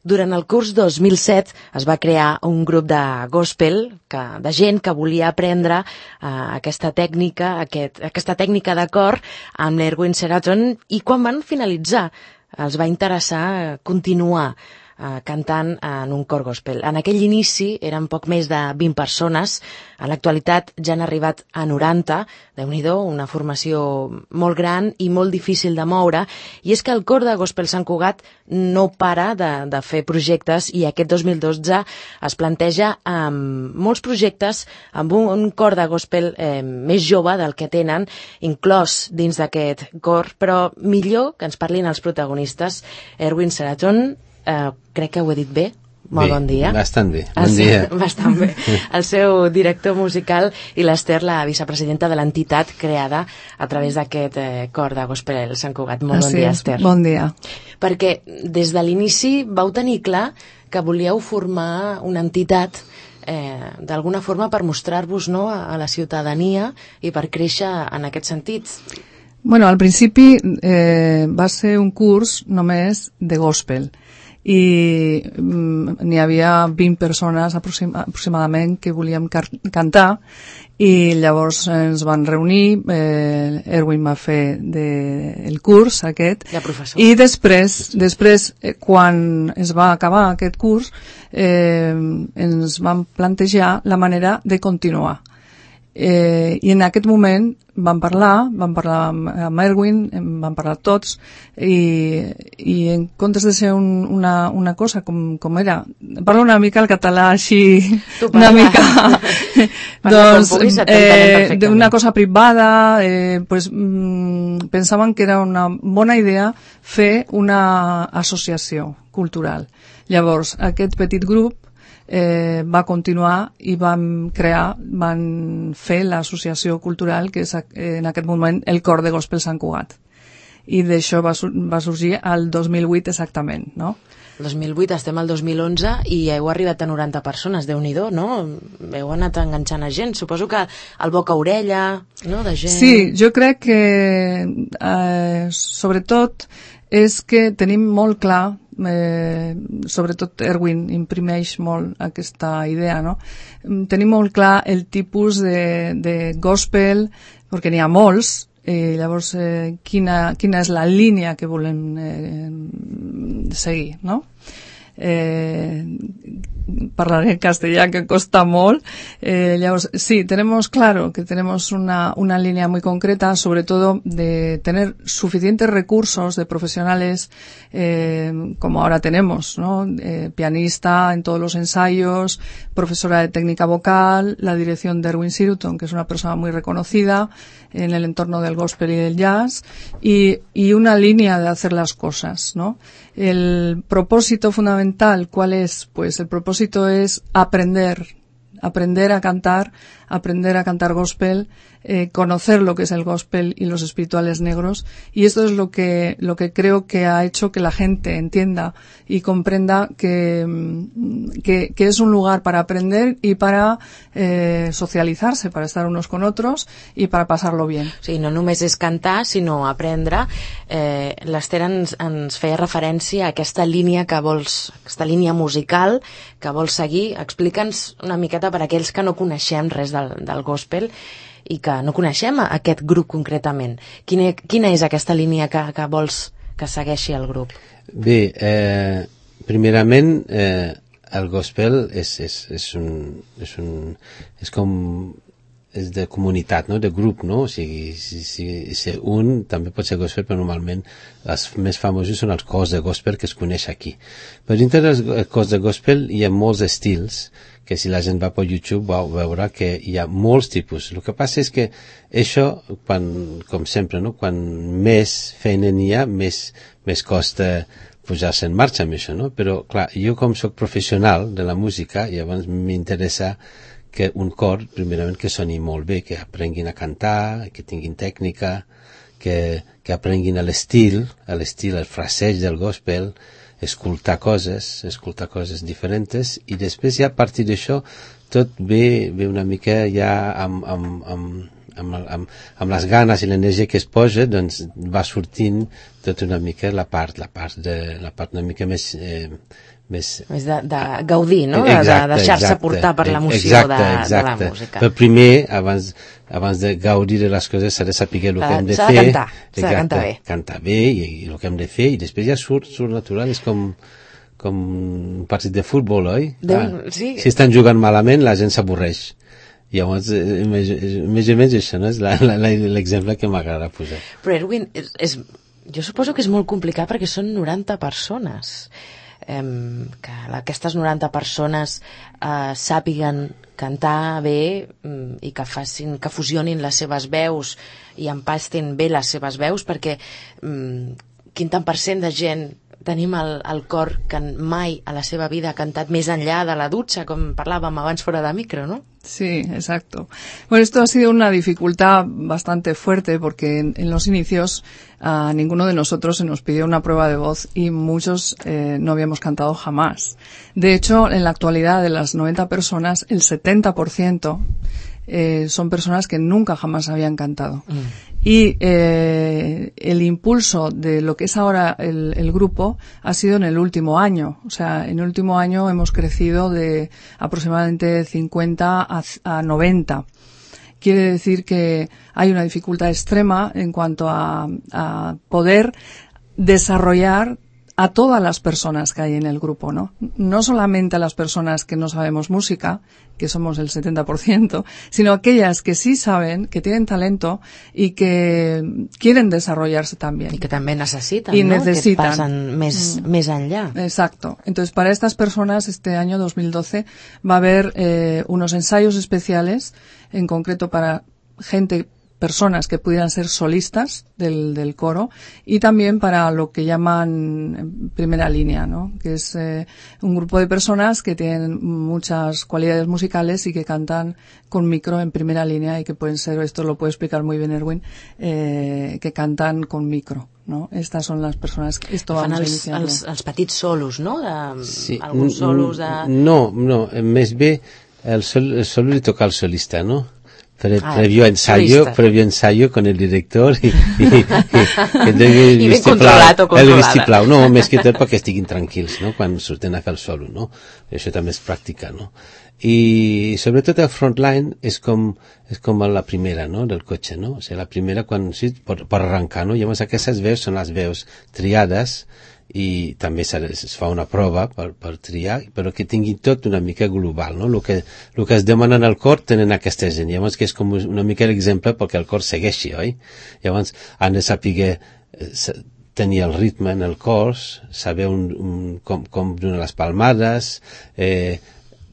Durant el curs 2007 es va crear un grup de gospel, de gent que volia aprendre aquesta tècnica de cor amb l'Erwin Sheraton, i quan van finalitzar els va interessar continuar cantant en un cor gospel. En aquell inici eren poc més de 20 persones, en l'actualitat ja han arribat a 90, Déu-n'hi-do, una formació molt gran i molt difícil de moure, i és que el cor de Gospel Sant Cugat no para de fer projectes, i aquest 2012 es planteja molts projectes amb un cor de gospel més jove del que tenen, inclòs dins d'aquest cor, però millor que ens parlin els protagonistes. Erwin Sheraton, crec que ho he dit bé. Molt bon dia. Bastant bé. Bon dia. Bastant bé. El seu director musical i l'Ester, la vicepresidenta de l'entitat creada a través d'aquest cor de Gospel Sant Cugat. Molt bon dia, Ester. Bon dia. Perquè des de l'inici vau tenir clar que volíeu formar una entitat d'alguna forma per mostrar-vos a la ciutadania i per créixer en aquest sentit. Bueno, al principi va ser un curs només de gospel, i n'hi havia 20 persones aproximadament que volíem cantar, i llavors ens van reunir, Erwin va fer el curs aquest, i després quan es va acabar aquest curs ens van plantejar la manera de continuar. I en aquest moment vam parlar amb Erwin, vam parlar tots, i en comptes de ser una cosa com era, parlo una mica el català així, una mica doncs d'una cosa privada, pues pensaven que era una bona idea fer una associació cultural. Llavors aquest petit grup va continuar i van fer l'associació cultural, que és en aquest moment el cor de Gospel Sant Cugat, i d'això va sorgir el 2008 exactament, no? El 2008, estem al 2011 i heu arribat a 90 persones, Déu-n'hi-do, no? Heu anat enganxant a gent, suposo que al boca a orella, no?, de gent. Sí, jo crec que sobretot és que tenim molt clar, sobretot Erwin imprimeix molt aquesta idea, no? Tenim molt clar el tipus de gospel, perquè n'hi ha molts, i llavors quina és la línia que volem seguir, no? Parlaré en castellà, que costa molt. Llavors, sí, tenemos claro que tenemos una línea muy concreta, sobre todo de tener suficientes recursos de profesionales, como ahora tenemos, ¿no? Pianista en todos los ensayos, profesora de técnica vocal, la dirección de Erwin Sheraton, que es una persona muy reconocida en el entorno del gospel y del jazz, y una línea de hacer las cosas, ¿no? El propósito fundamental, ¿cuál es? Pues el propósito es aprender a cantar gospel, conocer lo que es el gospel y los espirituales negros, y esto es lo que creo que ha hecho que la gente entienda y comprenda que es un lugar para aprender y para socializarse, para estar unos con otros y para pasarlo bien. Sí, no només és cantar, sinó aprendre. L'Ester ens feia referència a aquesta línia que vols, aquesta línia musical que vols seguir. Explica'ns una miqueta per a aquells que no coneixem res del gospel i que no coneixem aquest grup concretament. Quina és aquesta línia que vols que segueixi el grup? Bé, primerament el gospel és de comunitat, no? De grup, no? O sigui, si un també pot ser gospel, però normalment els més famosos són els cors de gospel que es coneix aquí. Però dintre dels cors de gospel hi ha molts estils, que si la gent va per YouTube va veure que hi ha molts tipus. El que passa és que això, com sempre, no? Quan més feina n'hi ha, més costa posar-se en marxa amb això, no? Però, clar, jo com soc professional de la música, llavors m'interessa que un cor, primerament, que soni molt bé, que aprenguin a cantar, que tinguin tècnica, que aprenguin l'estil, el fraseig del gospel, escoltar coses diferents, i després ja a partir d'això tot ve una mica ja amb amb les ganes i l'energia que es posa, doncs va sortint tot una mica la part una mica més de gaudir, no? De deixar-se portar per l'emoció de la música. Però primer, abans de gaudir de les coses, s'ha de saber el que hem de fer. S'ha de cantar bé. Cantar bé i el que hem de fer, i després ja surt natural, és com un partit de futbol, oi? Sí. Si estan jugant malament, la gent s'avorreix. Llavors, més o menys això, no? És l'exemple que m'agrada posar. Però Erwin, jo suposo que és molt complicat perquè són 90 persones. Que aquestes 90 persones sàpiguen cantar bé i que fusionin les seves veus i empastin bé les seves veus, perquè quin tant per cent de gent tenim al cor que mai a la seva vida ha cantat més enllà de la dutxa, com parlàvem abans fora de micro, ¿no? Sí, exacto. Bueno, esto ha sido una dificultad bastante fuerte porque en los inicios a ninguno de nosotros se nos pidió una prueba de voz y muchos no habíamos cantado jamás. De hecho, en la actualidad de las 90 personas, el 70% son personas que nunca jamás habían cantado. Y el impulso de lo que es ahora el grupo ha sido en el último año. O sea, en el último año hemos crecido de aproximadamente 50 a 90. Quiere decir que hay una dificultad extrema en cuanto a poder desarrollar a todas las personas que hay en el grupo, ¿no? No solamente a las personas que no sabemos música, que somos el 70%, sino aquellas que sí saben, que tienen talento y que quieren desarrollarse también. Y que también necesitan, y ¿no? necesitan. Que pasan més enllà. Exacto. Entonces, para estas personas, este año 2012 va a haber unos ensayos especiales, en concreto para personas que pudieran ser solistas del coro, y también para lo que llaman primera línea, ¿no? Que es un grupo de personas que tienen muchas cualidades musicales y que cantan con micro en primera línea, y que pueden ser, esto lo puede explicar muy bien Erwin, que cantan con micro, ¿no? Estas son las personas que esto vamos a iniciar. Els petits solos, no? Sí. Alguns solos de... No, més bé el solo li toca al solista, no? Previo ensayo con el director i ben controlat o controlada. El vistiplau, no, més que tot perquè estiguin tranquils, no?, quan surten a fer el solo, no? I això també es practica, no? I sobretot el frontline és com la primera, no?, del cotxe, no? O sigui, la primera quan sí, per arrencar, no? Llavors aquestes veus són les veus triades, i també es fa una prova per triar, però que tingui tot una mica global, no? El que es demana al cor tenen aquesta gent, llavors que és com una mica l'exemple perquè el cor segueixi, oi? Llavors han de saber tenir el ritme en el cor, saber com donar les palmades,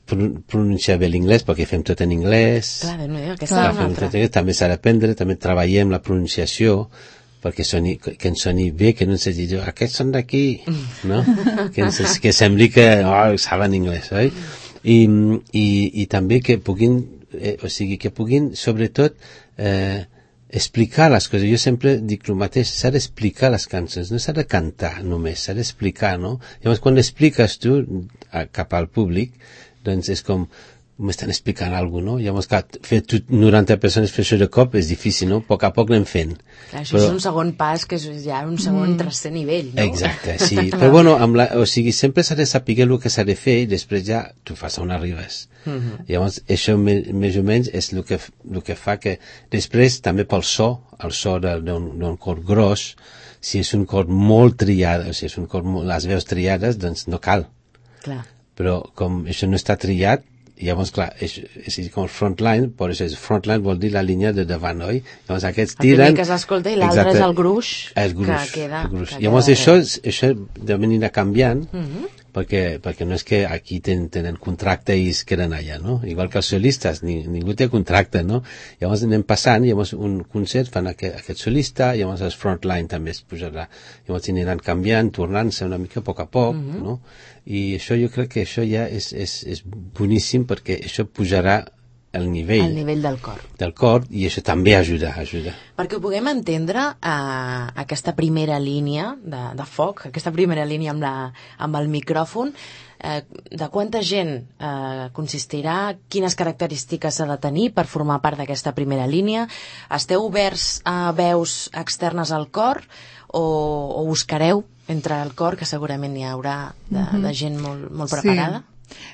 pronunciar bé l'inglès, perquè fem tot en anglès. Clar, aquesta és una altra. També s'ha d'aprendre, també treballem la pronunciació, perquè que ens soni bé, que no ens digui aquests són d'aquí, no? que sembli que saben anglès, oi? I també que puguin sobretot explicar les coses. Jo sempre dic el mateix, s'ha d'explicar les cançons, no s'ha de cantar només, s'ha d'explicar, no? Llavors quan l'expliques tu cap al públic, doncs és com m'estan explicant alguna cosa, no? Llavors, clar, fer 90 persones fer això de cop és difícil, no? A poc anem fent. Clar, això és un segon pas, que és ja un segon tercer nivell, no? Exacte, sí. Però bueno, sempre s'ha de saber el que s'ha de fer i després ja tu fas on arribes. Llavors, això més o menys és el que fa que després també pel el so d'un cor gros, si és un cor molt triat, o sigui, és un cor les veus triades, doncs no cal. Clar. Però com això no està triat, llavors, clar, és com el frontline, per això frontline vol dir la línia de davant, oi? Llavors aquests tiren... El primer que s'escolta i l'altre és el gruix que queda... Llavors això anirà canviant, perquè no és que aquí tenen contracte i es queden allà, no? Igual que els solistes, ningú té contracte, no? Llavors anem passant, llavors un concert fan aquest solista, llavors el frontline també es pujarà, llavors aniran canviant, tornant-se una mica a poc, no? I això jo crec que això ja és boníssim, perquè això pujarà el nivell del cor, i això també ajuda. Perquè ho puguem entendre, aquesta primera línia de foc, aquesta primera línia amb el micròfon, De quanta gent consistirà? Quines característiques s'ha de tenir per formar part d'aquesta primera línia? Esteu oberts a veus externes al cor o buscareu entre el cor, que segurament hi haurà de gent molt preparada? Sí.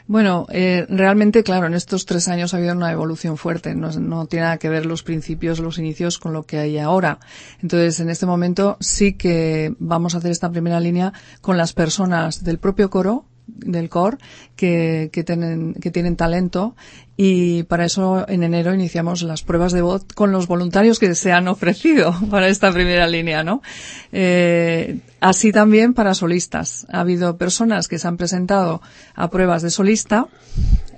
Bueno, realmente, claro, en estos 3 años ha habido una evolución fuerte. No tiene nada que ver los principios, los inicios con lo que hay ahora. Entonces, en este momento sí que vamos a hacer esta primera línea con las personas del propio coro, del cor, que tienen talento, y para eso en enero iniciamos las pruebas de voz con los voluntarios que se han ofrecido para esta primera línea, ¿no? Así también para solistas. Ha habido personas que se han presentado a pruebas de solista,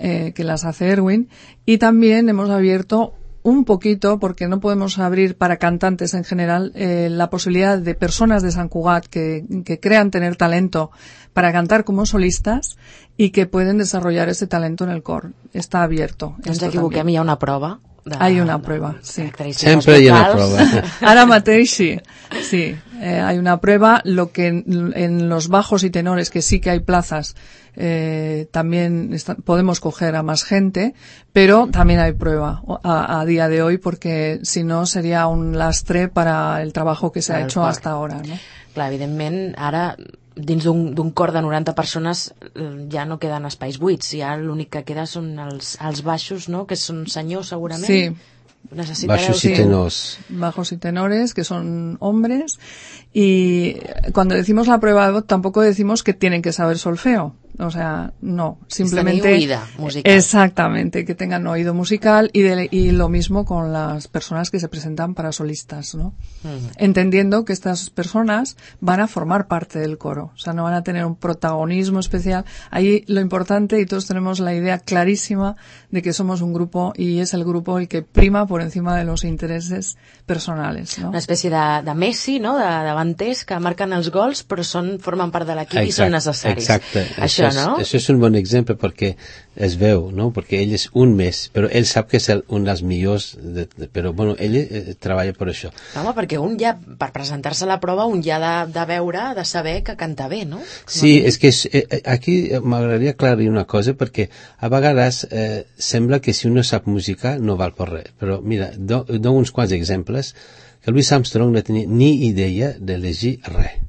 que las hace Erwin, y también hemos abierto un poquito, porque no podemos abrir para cantantes en general, la posibilidad de personas de Sant Cugat que crean tener talento para cantar como solistas y que pueden desarrollar ese talento en el cor. Está abierto. No ens equivoquem, hi ha una prova. Hay una prueba, sí. Siempre hay una prueba. Ara mateix sí. Hay una prueba. Lo que en los bajos y tenores, que sí que hay plazas, también podemos coger a más gente, pero también hay prueba a día de hoy, porque si no sería un lastre para el trabajo que se ha hecho hasta ahora, ¿no? Clar, evidentment, ara dins d'un cor de 90 persones ja no queden espais buits, ja l'únic que queda són els baixos, no?, que són senyors segurament. Sí. Bajos y tenores. Bajos y tenores, que son hombres. Y cuando decimos la prueba de voz, tampoco decimos que tienen que saber solfeo. O sea, no, simplemente... oído musical. Exactamente, que tengan oído musical, y lo mismo con las personas que se presentan para solistas, ¿no? Entendiendo que estas personas van a formar parte del coro, o sea, no van a tener un protagonismo especial. Ahí lo importante, y todos tenemos la idea clarísima de que somos un grupo, y es el grupo el que prima por encima de los intereses personales, ¿no? Una espècie de Messi, no?, de davanters que marquen els gols, però formen part de l'equip i són necessaris. Exacte. Això, no? Això és un bon exemple, perquè es veu, no?, perquè ell és un més, però ell sap que és un dels millors, però bueno, ell treballa per això. Home, perquè un ja, per presentar-se a la prova, un ja ha de veure, de saber que canta bé, no? Sí, és que aquí m'agradaria aclarir una cosa, perquè a vegades sembla que si un no sap música no val per res, però mira, dono uns quants exemples, que Louis Armstrong no tenia ni idea de llegir res.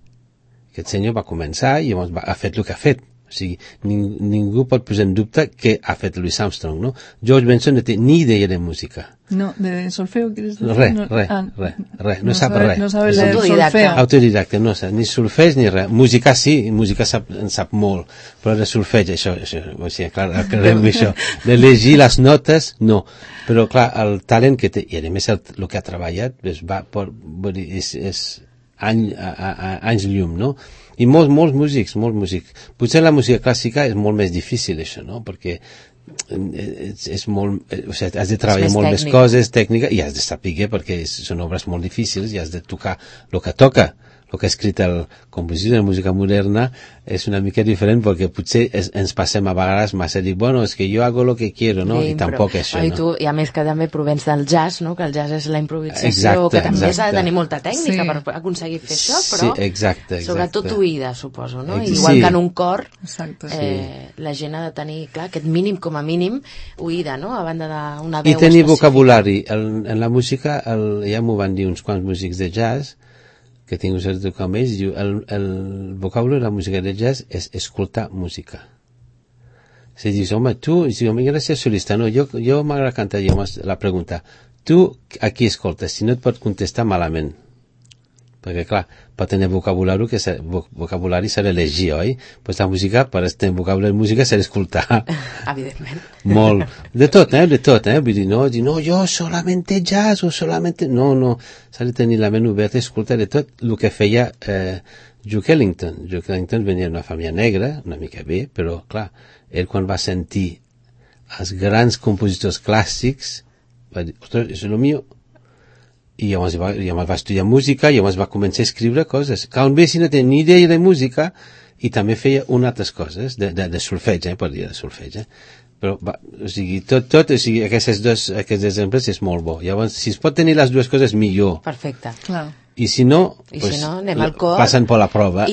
Aquest senyor va començar i llavors ha fet el que ha fet. O sigui, ningú pot posar en dubte què ha fet Louis Armstrong, no? George Benson no té ni idea de música. No, de solfeo, ¿quieres decir? Res, no sap res. No sabe leer solfeo. Autodidacte, no sap, ni solfeig ni res. Música sí, música en sap molt, però de solfeig, això, o sigui, clar, aclarem això. De llegir les notes, no. Però, clar, el talent que té, i a més el que ha treballat, és anys llum, no? I molts músics. Potser la música clàssica és molt més difícil, això, no? Perquè és molt, o sigui, has de treballar molt més coses, tècnica, i has de saber, perquè són obres molt difícils, i has de tocar el que toca. El que ha escrit el compositor de música moderna és una mica diferent, perquè potser ens passem a vegades massa a dir, bueno, és que jo hago lo que quiero, no? I tampoc és això, no? I a més que també provens del jazz, no? Que el jazz és la improvisació, que també s'ha de tenir molta tècnica per aconseguir fer això, però sobretot oïda, suposo, no? Igual que en un cor, la gent ha de tenir, clar, aquest mínim com a mínim oïda, no? A banda d'una veu específica. I tenir vocabulari. En la música, ja m'ho van dir uns quants músics de jazz, que tinc un cert tocar amb ells, diu, el vocabulari de la música de jazz és escoltar música. Se dius, home, tu, gràcies solista, no, jo m'agrada cantar, la pregunta, tu a qui escoltes? Si no et pot contestar malament. Perquè, clar, per tenir vocabulari s'ha de llegir, oi? Pues la música, per tenir vocabulari de música s'ha d'escoltar. Evidentment. Molt. De tot. Vull dir, no, jo solamente jazz o solamente... No, s'ha de tenir la ment oberta i escoltar de tot el que feia Duke Ellington. Duke Ellington venia d'una família negra, una mica bé, però, clar, ell quan va sentir els grans compositors clàssics, va dir, ostres, és el mío. I llavors va estudiar música i llavors va començar a escriure coses. Quan ve, si no té ni idea de música, i també feia altres coses, de solfeig, per dir de solfeig. Però, o sigui, o sigui, aquests exemples és molt bo. Llavors, si es pot tenir les dues coses, millor. Perfecte. Clar. I si no, anem al cor. Passen per la prova.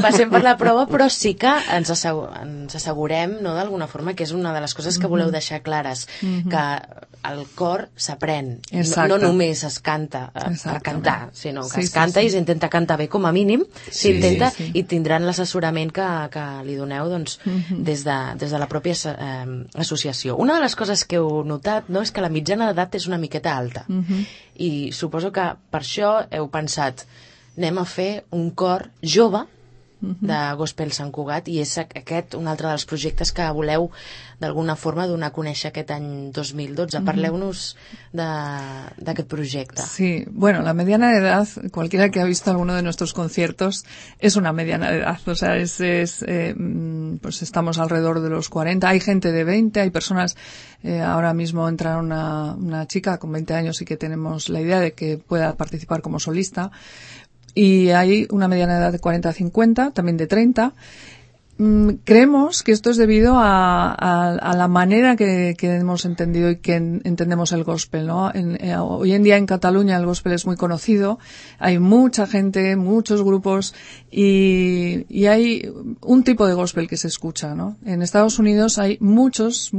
Passem per la prova, però sí que ens assegurem, no, d'alguna forma, que és una de les coses que voleu deixar clares, que el cor s'aprèn, no només es canta per cantar, sinó que es canta i s'intenta cantar bé com a mínim, s'intenta i tindran l'assessorament que li doneu des de la pròpia associació. Una de les coses que heu notat, no, és que la mitjana d'edat és una miqueta alta, i suposo que per això heu pensat anem a fer un cor jove de Gospel Sant Cugat, i és aquest un altre dels projectes que voleu d'alguna forma donar a conèixer aquest any 2012. Parleu-nos d'aquest projecte. Sí, bueno, la mediana de edad, cualquiera que ha visto alguno de nuestros conciertos, es una mediana de edad, o sea, pues estamos alrededor de los 40, hay gente de 20, hay personas, ahora mismo entra una chica con 20 años y que tenemos la idea de que pueda participar como solista, y hay una mediana edad de 40 a 50, también de 30. Creemos que esto es debido a la manera que hemos entendido y que entendemos el gospel, ¿no? Hoy en día en Cataluña el gospel es muy conocido, hay mucha gente, muchos grupos, y hay un tipo de gospel que se escucha, ¿no? En Estados Unidos hay muchos,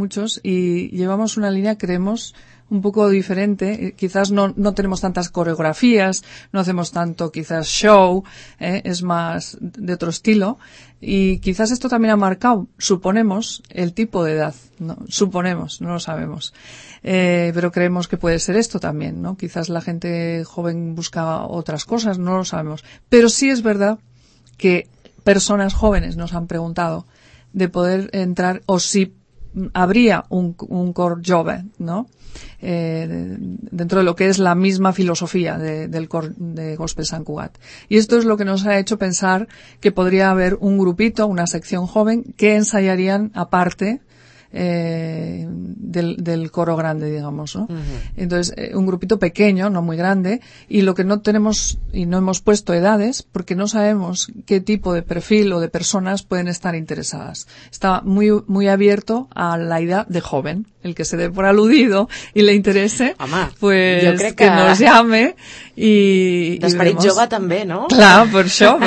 y llevamos una línea, creemos, un poco diferente. Quizás no tenemos tantas coreografías, no hacemos tanto quizás show, es más de otro estilo, y quizás esto también ha marcado, suponemos, el tipo de edad, ¿no? Suponemos, no lo sabemos, pero creemos que puede ser esto también, ¿no? Quizás la gente joven busca otras cosas, no lo sabemos, pero sí es verdad que personas jóvenes nos han preguntado de poder entrar, o si habría un cor jove, ¿no? Dentro de lo que es la misma filosofía del cor de Gospel Sant Cugat. Y esto es lo que nos ha hecho pensar que podría haber un grupito, una sección joven, que ensayarían aparte del coro grande, digamos, ¿no? Entonces, un grupito pequeño, no muy grande, y lo que no tenemos y no hemos puesto edades, porque no sabemos qué tipo de perfil o de personas pueden estar interesadas. Está muy abierto a la idea de joven. El que se dé por aludido y le interese, pues jo crec que nos llame i d'esperit jove també, no? Clar, per això.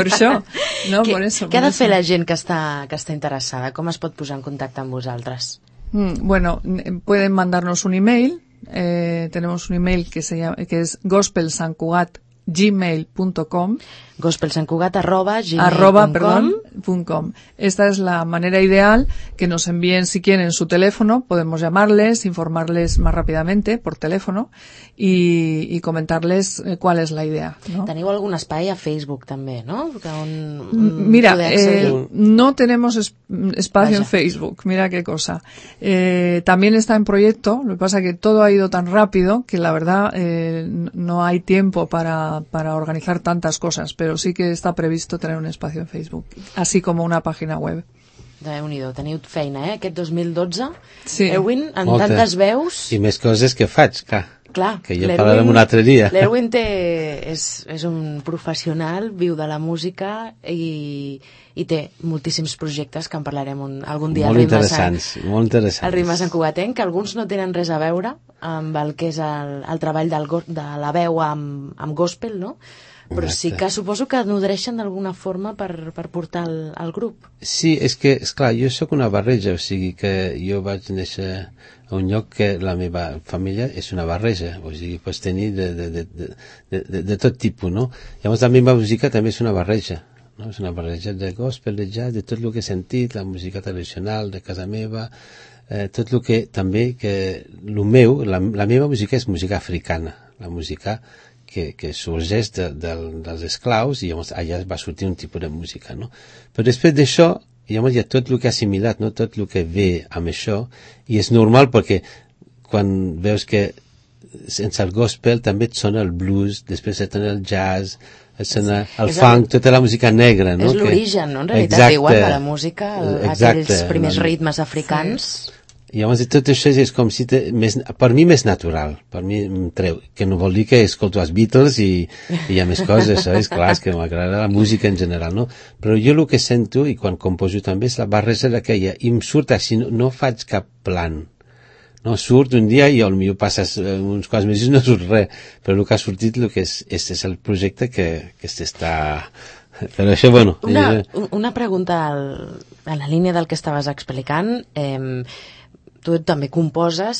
No, por eso. Què ha de fer la gent que està interessada? Com es pot posar en contacte amb vosaltres? Bueno, pueden mandarnos un email. Tenemos un email que es gospelsantcugat@gmail.com. gospelsantcugat@gmail.com. Esta es la manera ideal, que nos envíen si quieren su teléfono, podemos llamarles, informarles más rápidamente por teléfono y comentarles cuál es la idea, ¿no? Teniu algun espai a Facebook també, no? Mira, no tenemos espacio en Facebook, mira qué cosa. También está en proyecto, lo que pasa es que todo ha ido tan rápido que la verdad no hay tiempo para organizar tantas cosas, pero sí que está previsto tener un espacio en Facebook, así como una página web. Déu-n'hi-do, teniu feina, aquest 2012. Sí. Erwin, en tantes veus... I més coses que faig, clar, que jo parlarem un altre dia. L'Erwin és un professional, viu de la música i té moltíssims projectes que en parlarem algun dia. Molt interessants. El Ritme santcugatenc, que alguns no tenen res a veure amb el que és el treball de la veu amb gospel, no? Però sí que suposo que nodreixen d'alguna forma per portar el grup. Sí, és que, esclar, jo sóc una barreja, o sigui que jo vaig néixer a un lloc que la meva família és una barreja, o sigui, pots tenir de tot tipus, no? Llavors la meva música també és una barreja, no? És una barreja de gospel, de jazz, de tot el que he sentit, la música tradicional de casa meva, tot el que també, que el meu, la meva música és música africana, la música que sorgeix dels esclaus, i llavors allà va sortir un tipus de música, no? Però després d'això, llavors hi ha tot el que ha assimilat, no? Tot el que ve amb això, i és normal perquè quan veus que sense el gospel també et sona el blues, després et sona el jazz, et sona el funk, tota la música negra, no? És l'origen, no? En realitat, igual de la música, aquells primers ritmes africans... I llavors tot això és com si per mi més natural, per mi em treu, que no vol dir que escolto els Beatles i hi ha més coses, saps? Clar, és que m'agrada la música en general, no? Però jo el que sento, i quan composo també, és la barreja d'aquella, i em surt així, no faig cap plan, no? Surt un dia i potser passes uns quants mesos i no surt res, però el que ha sortit és el projecte que s'està... Però això, bueno... Una pregunta en la línia del que estaves explicant. Tu també composes,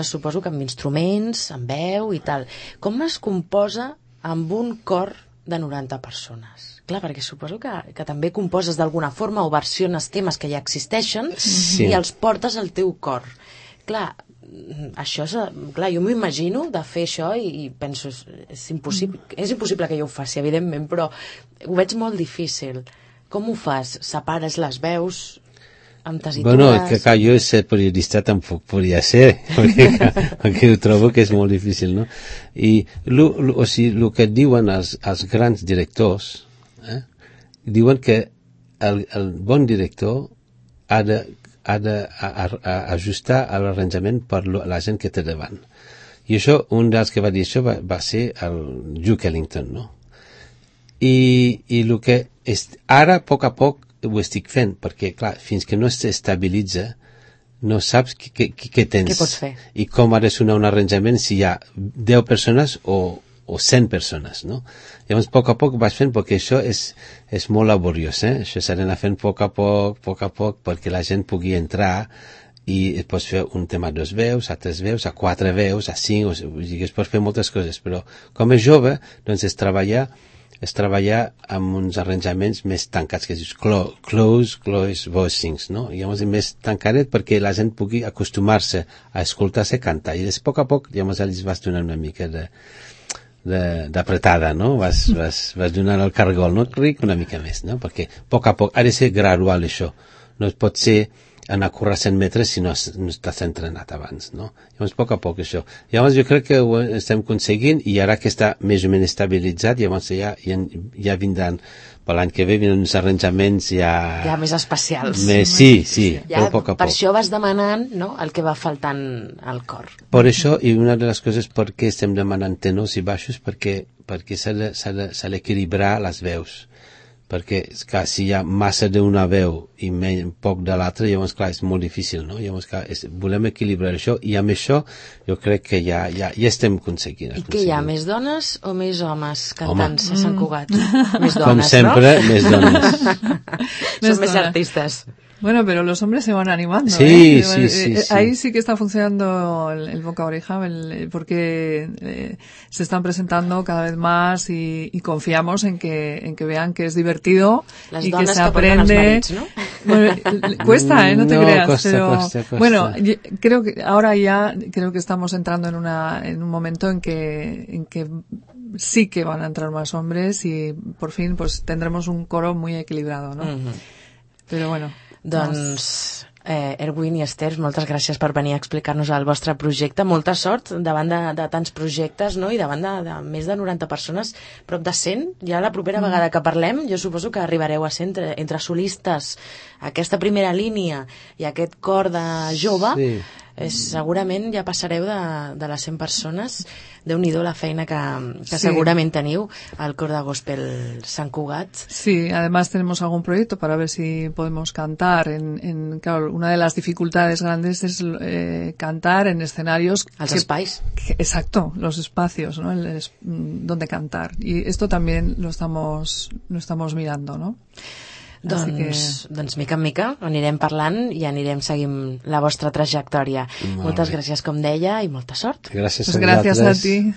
suposo que amb instruments, amb veu i tal. Com es composa amb un cor de 90 persones? Clar, perquè suposo que també composes d'alguna forma o versiones temes que ja existeixen i els portes al teu cor. Clar, això clar, jo m'imagino de fer això i penso, és impossible que jo ho faci, evidentment, però ho veig molt difícil. Com ho fas? Separes les veus amb tesitures? Bueno, que clar, jo ser periodista tampoc podria ser, perquè ho trobo que és molt difícil, no? I o sigui, el que diuen els grans directors, diuen que el bon director ha d'ajustar l'arranjament per la gent que té davant. I això, un dels que va dir això va ser el Duke Ellington, no? I el que ara, a poc ho estic fent, perquè, clar, fins que no s'estabilitza, no saps què tens. Què pots fer? I com ha de sonar un arranjament si hi ha 10 persones o 100 persones, no? Llavors, a poc vaig fent, perquè això és molt laboriós, Això s'ha d'anar fent a poc, perquè la gent pugui entrar i es pots fer un tema a 2 veus, a 3 veus, a 4 veus, a 5, es pot fer moltes coses, però com és jove, doncs és treballar amb uns arranjaments més tancats, que es dius close voicings, no? Llavors més tancadet perquè la gent pugui acostumar-se a escoltar-se cantar, i a poc llavors els vas donar una mica d'apretada, no? Vas donant el cargol, no? Una mica més, no? Perquè a poc ha de ser gradual això, no es pot ser anar a córrer 100 metres si no estàs entrenat abans, no? Llavors, a poc això. Llavors, jo crec que ho estem aconseguint, i ara que està més o menys estabilitzat, llavors ja vindran, per l'any que ve, vindran uns arranjaments ja més especials. Sí, ja, però a poc. Per això vas demanant, no?, el que va faltant al cor. Per això, i una de les coses per què estem demanant tenors i baixos, perquè s'ha d'equilibrar les veus. Perquè, clar, si hi ha massa d'una veu i poc de l'altra, llavors, clar, és molt difícil, no? Llavors, clar, volem equilibrar això, i amb això jo crec que ja estem aconseguint. I què hi ha, més dones o més homes cantant a Sant Cugat? Més dones, com sempre, no? Més dones. Son més artistas. Bueno, pero los hombres se van animando. Sí. Ahí sí que está funcionando el boca a oreja, porque se están presentando cada vez más y confiamos en que vean que es divertido y que se aprende. Las donas que portan els marits, ¿no? Bueno, cuesta, no te creas. Cuesta. Bueno, creo que ahora creo que estamos entrando en un momento en que sí que van a entrar más hombres y por fin pues tendremos un coro muy equilibrado, ¿no? Pero bueno. Doncs, Erwin i Esther, moltes gràcies per venir a explicar-nos el vostre projecte. Molta sort davant de tants projectes, no? I davant de més de 90 persones, prop de 100. Ja la propera vegada que parlem, jo suposo que arribareu a ser entre solistes, aquesta primera línia i aquest cor de jove. Sí. Segurament ja passareu de les 100 persones. Déu-n'hi-do la feina que segurament teniu al cor de Gospel Sant Cugat. Sí, además tenemos algún proyecto para ver si podemos cantar claro, una de las dificultades grandes es cantar en escenarios. Els espais. Exacto, los espacios, ¿no? Donde cantar. Y esto también lo estamos mirando, ¿no? Doncs mica en mica anirem parlant i anirem seguint la vostra trajectòria. Moltes gràcies, com deia, i molta sort. Gràcies a ti.